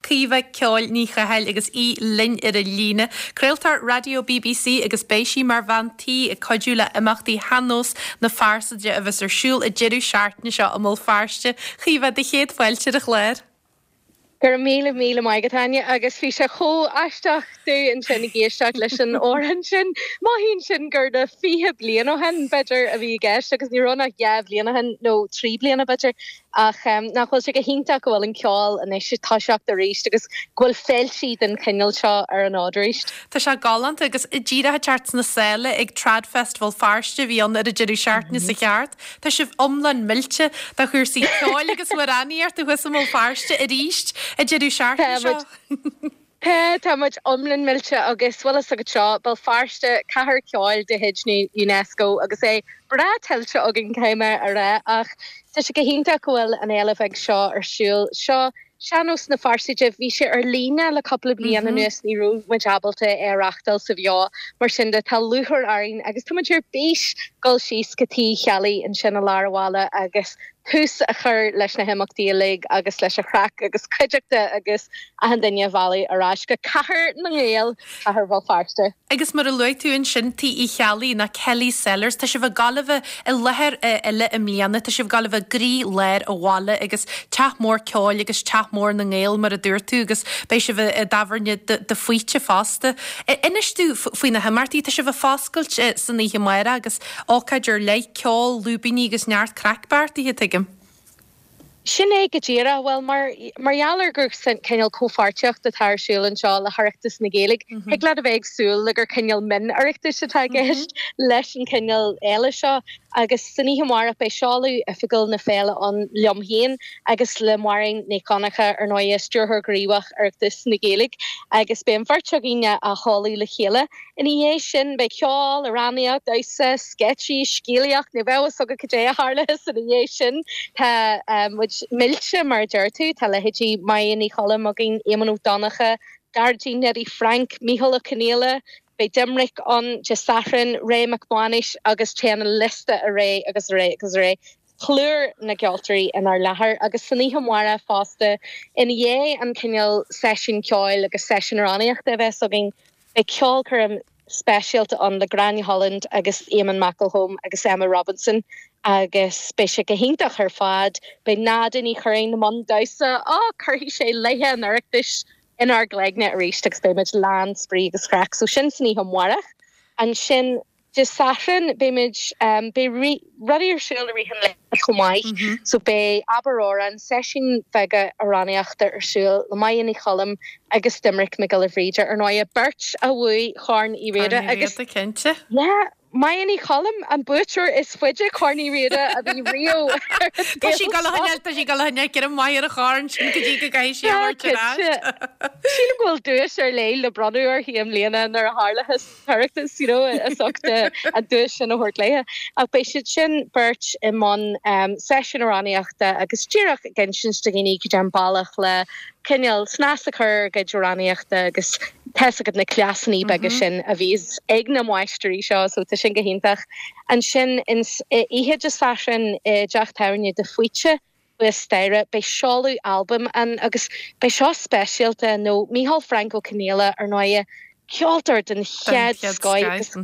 Caoimhe Ceoil Ní Chathail agus í linn ar an líne. Craoltóir Raidió bbc agus beidh sí mar bhean tí ag cuidiú le imeachtaí Shean-Nós na Fearsaide a bheas ar siúl an deireadh seachtaine seo i mBéal Feirste. Chaoimhe, do chéad fáilte ar an chlár. Go raibh míle míle maith agat, Áine, agus bhí sé chomh aisteach domh ansin ag éisteacht leis an amhrán sin. Mothaíonn sin gur na 20 bliain ó shin, b'fhéidir, a bhí i gceist agus ní raibh ach 2 bhliain ó shin, nó 3 bliana, b'fhéidir. Ach nach bhfuil sé go hiontach go bhfuil an ceol anois ag toiseacht arís agus go bhfuil féiltí den chineál seo ar an fhód arís. Tá sé galánta agus díreach ag teacht sna sála ag Trad Festival Feirste a bhí ann ar an deireadh seachtaine seo cheart. Tá sibh iomlán millte do chúrsaí ceoil agus amhránaíochta thuas i mBéal Feirste arís an deireadh seachtaine seo. Tá, tá muid iomlán millte agus bhfuil fhios agat seo, Béal Feirste, cathair ceoil de chuid na UNESCO agus é breá tuillte againn caithfidh mé a rá ach tá sé go hiontach go bhfuil an fhéile bheag seo ar siúl. Seo Sean-nós na Fearsaide, bhí sé ar líne le cúpla bliain anuas, ní raibh muid ábalta é a reáchtáil sa bheo, mar sin de tá lúcháir orainn agus tá muid ar bís dul síos go Tigh Uí Cheallaigh ansin i lár an bhaile agus tús a chur leis na himeachtaí uilig agus leis an chraic agus cuideachta agus achan duine a mhealladh ar ais go Cathair na nGael, Cathair Bhéal Feirste. Agus mar a luaigh tú ansin, Tigh Uí Cheallaigh, nó Kelly's Cellars, tá sibh ag gabháil a bheith i láthair eile i mbliana, tá sibh ag gabháil a bheith i gcroí-lár an bhaile agus teach mór ceoil agus teach mór na nGael mar a dúirt tú agus beidh sibh i dtábhairne de Faoite fosta. Inis domh faoi na himeachtaí, tá sibh ag foscailt san oíche amárach agus ócáid ar leith, ceol, lúibíní agus neart craic beartaithe, tuigim. Sin é go díreach. Bhuel, mar mar gheall ar gur cineál comhpháirtíocht atá ar siúl anseo le hOireachtas na Gaeilge, thig leat a bheith ag súil le gur cineál min-Oireachtais atá i gceist leis an chineál fhéile seo. Agus san oíche amárach beidh seoladh oifigiúil na féile ann liom féin agus le Máirín Nic Dhonncha, ar ndóighe, Stiúrthóir Gníomhach Oireachtas na Gaeilge, agus beidh an bheirt againn á sheoladh le chéile. Ina dhiaidh sin, beidh ceol, amhránaíocht, damhsa, sceitsí, scéalaíocht, ní bheadh fhios agat cad é a tharlóchas ina dhiaidh sin. Tá muid millte, mar a deir tú. Tá leithéidí Máire Ní Choilm againn, Éamonn Ó Donnchadha, Gearóidín Neidí Frainc, Mícheál Ó Conghaile, beidh Doimnic ann Dé Sathairn, Ray Mac Mánais agus téann an liosta ar aghaidh agus ar aghaidh agus ar aghaidh. Plúr na gceoltóirí inár láthair agus san oíche amárach fosta, ina dhiaidh an cineál seisiún ceoil agus seisiún amhránaíochta a bheas againn, Beidh ceolchoirm speisialta ann le Gráinne Holland agus Eamon McElholm agus Emma Robinson agus beidh sé go hiontach ar fad. Beidh Nada Ní Churraoin i mbun damhsa. Á, cuirfidh sé laethe an Oireachtais inár gcloigne arís agus beidh muid lán spraoi agus craic. So sin san oíche amárach. Ansin Dé Sathairn beimid, beidh rudaí ar siúl i rith an lae chomh maith so beidh Abair Amhrán, seisiúin bheaga amhránaíochta ar siúl le Máire Ní Choilm agus Doimnic Mac Giolla Bhríde, ar ndóighe, beirt a bhuaigh Corn Uí Riada agus, cinnte. yeah, Máire Ní Choilm, an buaiteoir is faide Corn Uí Riada a bhí riamh ar an Tá sí ag dul a choinneáil, tá sí ag dul a choinneáil greim maith ar an chorn sin go dtí go gcaithfidh sí a thabhairt ar ais. Sílim go bhfuil duais ar leith le bronnadh uirthi i mbliana nuair a tharlóchas. tOireachtas, you know, as ucht an duais sin a thabhairt léithe. Ach beidh siad sin beirt i mbun seisiún amhránaíochta agus díreach ag insint do dhaoine cad é an bealach le cineál snas a chur ar a gcuid amhránaíochta agus tá's agat na cleasanna beaga sin a bhíos ag na máistirí seo, so tá sin go hiontach. Ansin ins oíche Dé Sathairn i dteach tábhairne de Faoite, Thuas staighre, beidh seoladh albaim ann agus beidh seo speisialta nó Micheál Frainc Ó Conghaile, ar ndóighe, ceoltóir den chéad scoith agus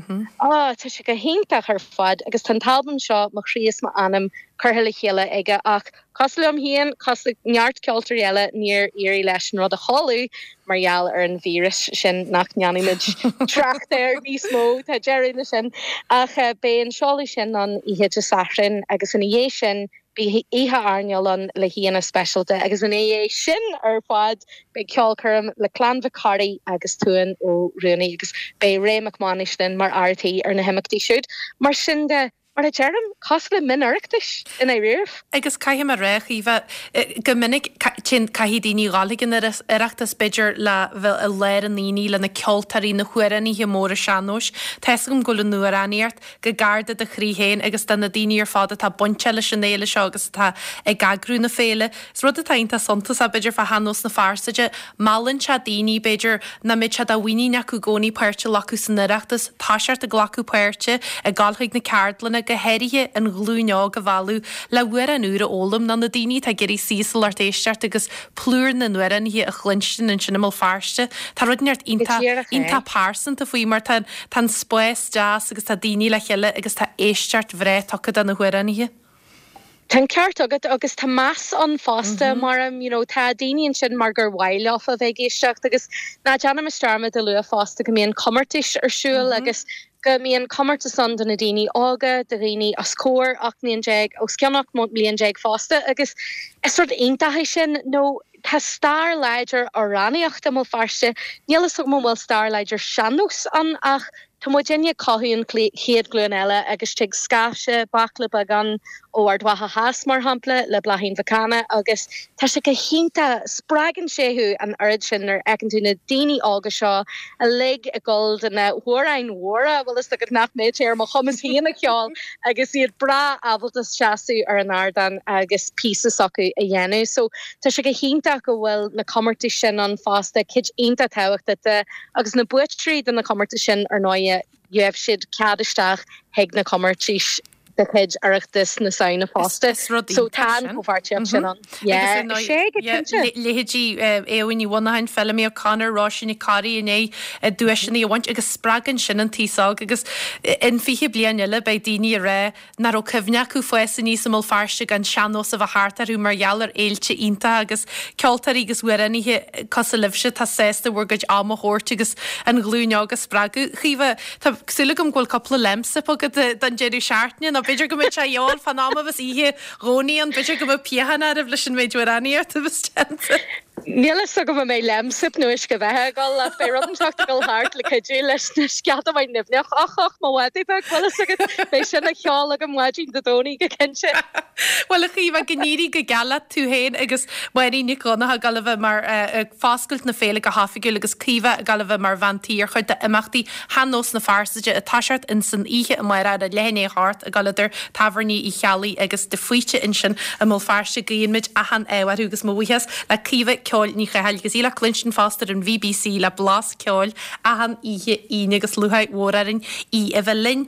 á, tá sé go hiontach ar fad agus tá an t-albam seo, Mo Chroí is M'Anam, curtha le chéile aige ach cosúil liom féin, cosúil le neart ceoltóirí eile, níor éirigh leis an rud a sheoladh mar gheall ar an víreas sin nach ndéanfaimid trácht air níos mó, tá deireadh leis sin. Ach beidh an seoladh sin ann oíche Dé Sathairn agus ina dhiaidh sin, Beidh oíche airneáil ann le haíonna speisialta agus ina dhiaidh sin ar fad beidh ceolchoirm le Clann Mhic Cárthaigh agus Tuan Ó Ruanaí agus beidh Ray Mac Mánais linn mar fhear tí ar na himeachtaí siúd. Mar sin de, mar a deirim, cosúil le min-Oireachtais i ndáiríribh. Agus caithfidh mé a rá, a Chaoimhe, go minic téann, caithfidh daoine dhul chuig an Oireachtas b'fhéidir le bheith i lár an aonaigh le na ceoltóirí, na hamhránaithe móra sean-nóis. Tá's agam go bhfuil an amhránaíocht go gar do do chroí féin agus do na daoine ar fad atá bainteach leis an fhéile seo agus atá ag eagrú na féile. Is rud atá iontach suntasach, b'fhéidir, fá Shean-Nós na Fearsaide, meallann sé daoine, b'fhéidir, nach mbeadh sé de mhuinín acu i gcónaí páirt a ghlacadh san Oireachtas, toiseacht ag glacadh páirte, ag dul chuig na ceardlanna. go háirithe an ghlúin óg a mhealladh le hamhrán úr a fhoghlaim nó na daoine atá ag iarraidh suí is a lucht éisteachta agus plúr na n-amhránaithe a chluinstin ansin i mBéal Feirste. Tá rud inteacht Go díreach é. iontach pearsanta faoi mar tá tá an spás deas agus tá daoine le chéile agus tá éisteacht bhreá tugtha do na hamhránaithe. Tá an ceart agat agus tá meas ann fosta mar you know tá daoine ansin mar gur mhaith leofa a bheith ag éisteacht agus ná déanaimis dearmad a lua fosta go mbíonn comórtais ar siúl agus go mbíonn comórtas ann do na daoine óga, do dhaoine os comhair 18 mbliain, os cionn 18 mbliain fosta agus is rud iontach é sin nó tá stair láidir amhránaíochta i mBéal Feirste, níl a fhios agam an bhfuil stair láidir sean-nós ann ach Tá muidinne ag cothú an chéad ghlúin eile agus tig scaifte baicle beag ann ó Ard Mhacha Theas, mar shampla, le Bláithín Mhic Cana agus tá sé go hiontach, spreagann sé thú an oiread sin nuair a fheiceann tú na daoine óga seo uilig ag gabháil do na hamhráin mhóra, bhfuil fhios agat nach mbeadh sé ar mo chumas féin a cheol agus iad breá ábalta seasamh ar an ardán agus píosa s'acu a dhéanamh. So tá sé go hiontach go bhfuil na comórtais sin ann fosta, cuid iontach tábhachtach de. Agus na buaiteoirí de na comórtais sin, ar ndóighe, gheobhaidh siad cead isteach chuig na comórtais de chuid Oireachtas na Samhna fosta. Is rud So iontach tá an sin. chomhpháirtíocht sin ann. Agus Yeah, ar ndóigh, is é go yeah, cinnte. leithéidí Éowyn Ní Mhonacháin, Feilimí O'Connor, Róisín Nic Corraidh i ndiaidh duaiseanna a bhaint agus spreagann sin an t-aos óg agus in 20 bliain eile beidh daoine ag rá nach raibh cuimhne acu fás aníos i mBéal Feirste gan sean-nós a bheith thart orthu mar gheall ar fhéilte iontacha agus ceoltóirí agus amhránaithe cosúil libhse atá sásta bhur gcuid ama a thabhairt agus an ghlúin óg a spreagadh. Caoimhe, tá súil agam go bhfuil cúpla Lemsip agat don deireadh seachtaine nó b'fhéidir go mbeidh sé a dhíobháil fán am a bheas oíche Dhomhnaigh ann, b'fhéidir go mbeadh piachán oraibh leis an méid amhránaíochta a bheas déanta. Níl fhios agam an mbeidh Lemsip nó uisce beatha ag dul ach beidh rud inteacht ag dul thart le cuidiú leis na scata maith nimhneach. Och, och, mo mhadaidh beag, bhfuil fhios agat, beidh sin á cheol agam maidin Dé Domhnaigh go cinnte. Bhuel, a Chaoimhe, go n-éirí go geal leat tú féin agus Máirín Nic Dhonncha ag dul a bheith mar ag foscailt na féile go hoifigiúil agus Caoimhe ag dul a bheith mar bhean tí ar chuid d'imeachtaí Shean-Nós na Fearsaide ag toiseacht ins an oíche amárach ar a leath i ndiaidh a hocht ag dul idir Tábhairní Uí Cheallaigh agus De Faoite ansin i mBéal Feirste. Guíonn muid achan ádh orthu agus mo bhuíochas le Caoimhe Ceoil Ní Chathail agus í le cluinstin fosta ar an bhBC le Blas Ceoil achan oíche Aoine agus lúcháir mhór orainn í a bheith linn.